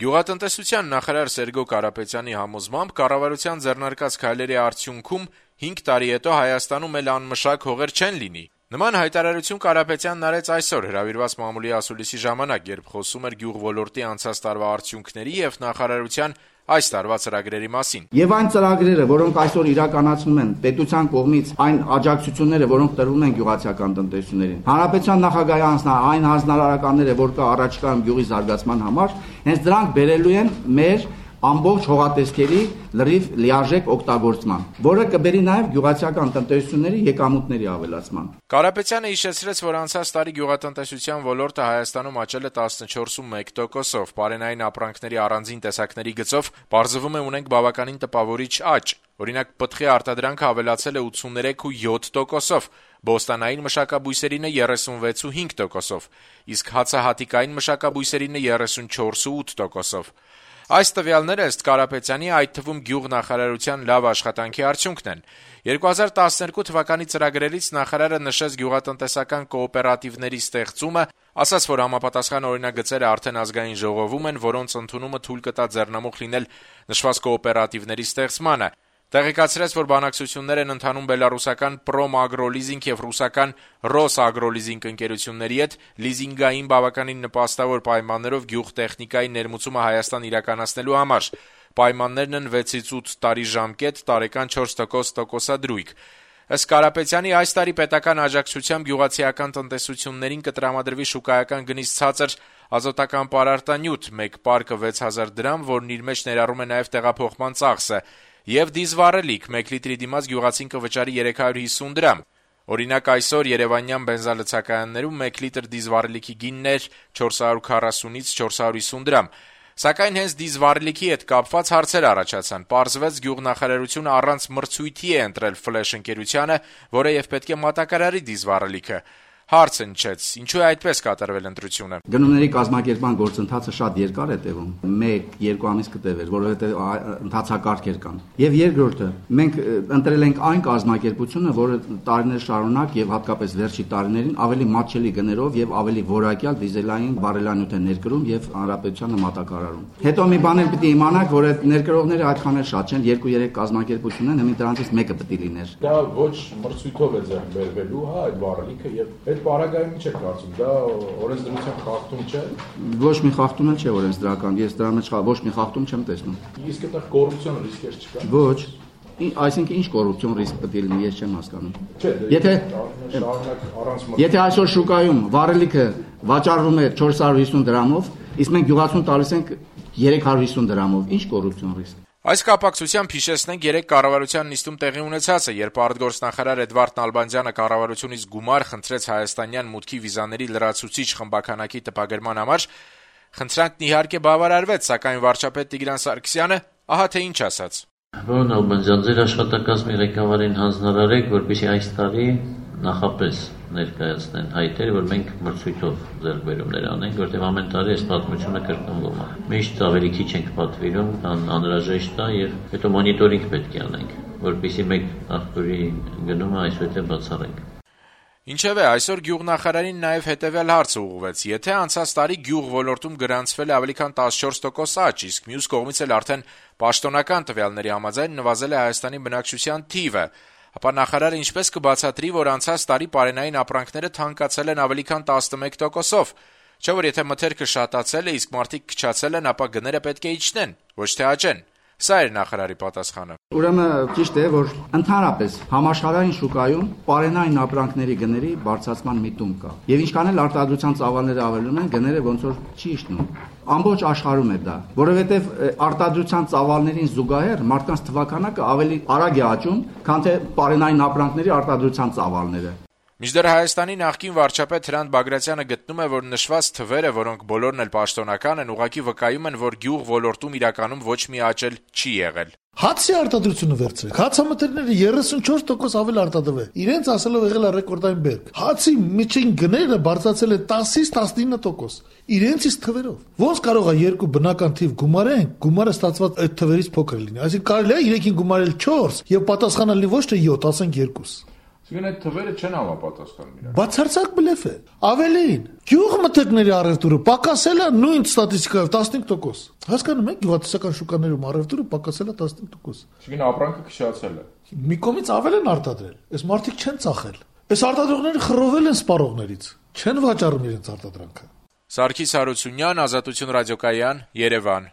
Գյուղատնտեսության նախարար Սերգո Կարապետյանի համոզմամբ կառավարության ձեռնարկած քայլերի արդյունքում 5 տարի հետո Հայաստանում էլ անմշակ հողեր չեն լինի։ Նման հայտարարություն Կարապետյանն արեց այսօր հրավիրված մամուլի ասուլիսի ժամանակ, երբ խոսում էր գյուղ ոլորտի անցած տարվա արդյունքների եւ նախարարության այս տարվա ծրագրերի մասին։ Եվ այն ծրագրերը, որոնք այսօր իրականացնում են պետության կողմից, այն աջակցությունները, որոնք տրվում են գյուղացիական տնտեսություններին, հանրապետության նախագահի այն հանձնարարականները, որ կա առաջիկայում գյուղի զարգացման համար, հենց դրանք բերելու են մեր ամբողջ հողատեսքերի լրիվ լիարժեք օգտագործման, որը կբերի նաև գյուղացիական տնտեսությունների եկամուտների ավելացման։ Կարապետյանը հիշեցրեց, որ անցած տարի գյուղատնտեսության ոլորտը Հայաստանում աճել է 14.1%-ով, պարենային ապրանքների առանձին տեսակների գծով պարզվում է ունենք բավականին տպավորիչ աճ։ Օրինակ, պտղի արտադրանքը ավելացել է 83.7%-ով, բոստանային մշակաբույսերինը 36.5%-ով, իսկ հացահատիկային մշակաբույսերինը 34.8%-ով։ Այս տվյալները ըստ Կարապետյանի, այդ թվում գյուղ նախարարության լավ աշխատանքի արդյունքն են։ 2012 թվականի ծրագրերից նախարարը նշեց գյուղատնտեսական կոոպերատիվների ստեղծումը, ասաց, որ համապատասխան օրինագծերը արդեն ազգային ժողովում են, որոնց ընդունումը թույլ կտա ձեռնամուխ լինել նշված կոոպերատիվների ստեղծմանը։ Տեղեկացրեց, որ բանակցություններ են ընթանում բելարուսական Պրոմ Ագրոլիզինգ եւ ռուսական Ռոս Ագրոլիզինգ ընկերությունների հետ լիզինգային բավականին նպաստավոր պայմաններով գյուղտեխնիկայի ներմուծումը Հայաստան իրականացնելու համար։ Պայմաններն են 6-ից 8 տարի ժամկետ, տարեկան 4% տոկոսադրույք։ Ըստ Կարապետյանի, այս տարի պետական աջակցությամբ գյուղացիական տնտեսություններին կտրամադրվի շուկայական գնից ցածր ազոտական պարարտանյութ, մեկ պարկը 6000 դրամ, որն իր մեջ ներառում է նաև տեղափոխման ծախսը, եւ դիզվառելիք 1 լիտրի դիմաց գյուղացին կվճարի 350 դրամ։ Օրինակ, այսօր երևանյան բենզալցակայաններում 1 լիտր դիզվառելիքի գինն էր 440-ից 450 դրամ։ Սակայն հենց դիզվառելիքի հետ կապված հարցեր առաջացան։ Պարզվեց, գյուղնախարարությունը առանց մրցույթի է ընտրել Ֆլեշ ընկերությանը, որը եւ պետք է մատակարարի դիզվառելիքը։ Հարցը նչեց, ինչու է այդպես կատարվել ընտրությունը։ Գնումների կազմակերպման գործընթացը շատ երկար է տևում, 1-2 ամիս կտևեր, որովհետև ընթացակարգեր կան։ Եվ երկրորդը, մենք ընտրել ենք այն կազմակերպությունը, որը տարիներ շարունակ եւ հատկապես վերջի տարիներին ավելի մատչելի գներով եւ ավելի որակյալ դիզելային բարելանյութ է ներկրում եւ հանրապետությանը մատակարարում։ Հետո մի բան էլ պիտի իմանաք, որ այդ ներկրողները այդքան էլ շատ չեն, 2-3 կազմակերպություն են, հիմա դրանցից մեկը պիտի լիներ։ Դա ոչ մրցույթով է ձեռք բերվելու, հա, այդ բարելիքը եւ այդ բարագայում ինչ է կարծում, դա օրենսդրության խախտում չէ։ Ոչ մի խախտում էլ չէ օրենսդրական, ես դրա մեջ ոչ մի խախտում չեմ տեսնում։ Իսկ այդտեղ կոռուպցիոն ռիսկեր չկա։ Ոչ։ Այսինքն ինչ կոռուպցիոն ռիսկ պետք է լինի, ես չեմ հասկանում։ Եթե այսօր շուկայում վառելիքը վաճառվում է 450 դրամով, իսկ մենք գյուղացուն տալիս ենք 350 դրամով, ինչ կոռուպցիոն ռիսկ։ Այս կապակցությամբ հիշեցնենք 3 կառավարության նիստում տեղի ունեցածը, երբ արտգործնախարար Էդվարդ Նալբանդյանը կառավարությունից գումար խնդրեց հայաստանյան մուտքի վիզաների լրացուցիչ խմբականակի տպագրման համար, խնդրանքն իհարկե բավարարվեց, սակայն վարչապետ Տիգրան Սարգսյանը ահա թե ինչ ասաց։ Պարոն Նալբանդյան, ձեր աշխատակազմի ղեկավարին հանձնարարեք, որպեսզի այս տարի նախապես ներկայացնեն հայտեր, որ մենք մրցույթով ձեռքբերումներ անենք, որտեղ ամեն տարի այս պատմությունը կրկնվում է։ Միշտ ավելի քիչ ենք պատվիրում, քան անհրաժեշտ է, եւ հետո մոնիտորինգ պետք է անենք, որպեսզի մեկ աղբյուրի գնումը այսուհետ բացառենք։ Ինչևէ, այսօր գյուղնախարարին նաև հետևյալ հարցը ուղղվեց. եթե անցած տարի գյուղ ոլորտում գրանցվել է ավելի քան 14% աճ, իսկ մյուս կողմից էլ արդեն պաշտոնական տվյալների համաձայն նվազել է Հայաստանի բնակչության թիվը, ապա նախարարը ինչպես կբացատրի, որ անցած տարի պարենային ապրանքները թանկացել են ավելի քան 11%-ով, չէ՞ որ եթե մթերքը շատացել է, իսկ մարդիկ քչացել են, ապա գները պետք է իջնեն, ոչ թե աճեն։ Սա էր նախարարի պատասխանը։ Ուրեմն ճիշտ է, որ ընդհանրապես համաշխարհային շուկայում պարենային ապրանքների գների բարձրացման միտում կա։ Եվ ինչքան էլ արտադրության ծավալները ավելանում են, գները ոնց որ չի իջնում։ Ամբողջ աշխարհում է դա, որովհետև արտադրության ծավալներին զուգահեռ մարդկանց թվականակը ավելի արագ է աճում, քան թե պարենային ապրանքների արտադրության ծավալները։ Մինչդեռ Հայաստանի նախկին վարչապետ Հրանտ Բագրատյանը գտնում է, որ նշված թվերը, որոնք բոլորն էլ պաշտոնական են, ուղղակի վկայում են, որ գյուղ ոլորտում իրականում ոչ մի աճել չի եղել։ Հացի արտադրությունը վերցրեք, հացամթերքները 34% ավել արտադրվել, իրենց ասելով եղել է ռեկորդային բերք։ Հացի միջին գները բարձրացել է 10-ից 19%, իրենցից թվերով։ Ոնց կարող է երկու բնական թիվ գումարեն, գումարը ստացված այդ թվերից փոքր լինի։ Այսինքն կարելի է 3-ին գումարել 4 եւ պատասխանալի ոչ թե 7, ասենք 2։ Այսինքն այդ թվերը չեն համապատասխանում իրար։ Բացարձակ բլեֆ է։ Ավելին, գյուղմթերքների առևտուրը պակասել է նույն ստատիստիկայով 15%։ Հասկանում եք, գյուղատնտեսական շուկաներում առևտուրը պակասել է 15%։ Այսինքն ապրանքը քշացել է։ Մի կողմից ավել են արտադրել։ Այս մարդիկ չեն ծախել։ Այս արտադրողները խռովել են սպառողներից։ Չեն վաճառում իրենց արտադրանքը։ Սարգիս Հարությունյան, Ազատություն ռադիոկայան, Երևան։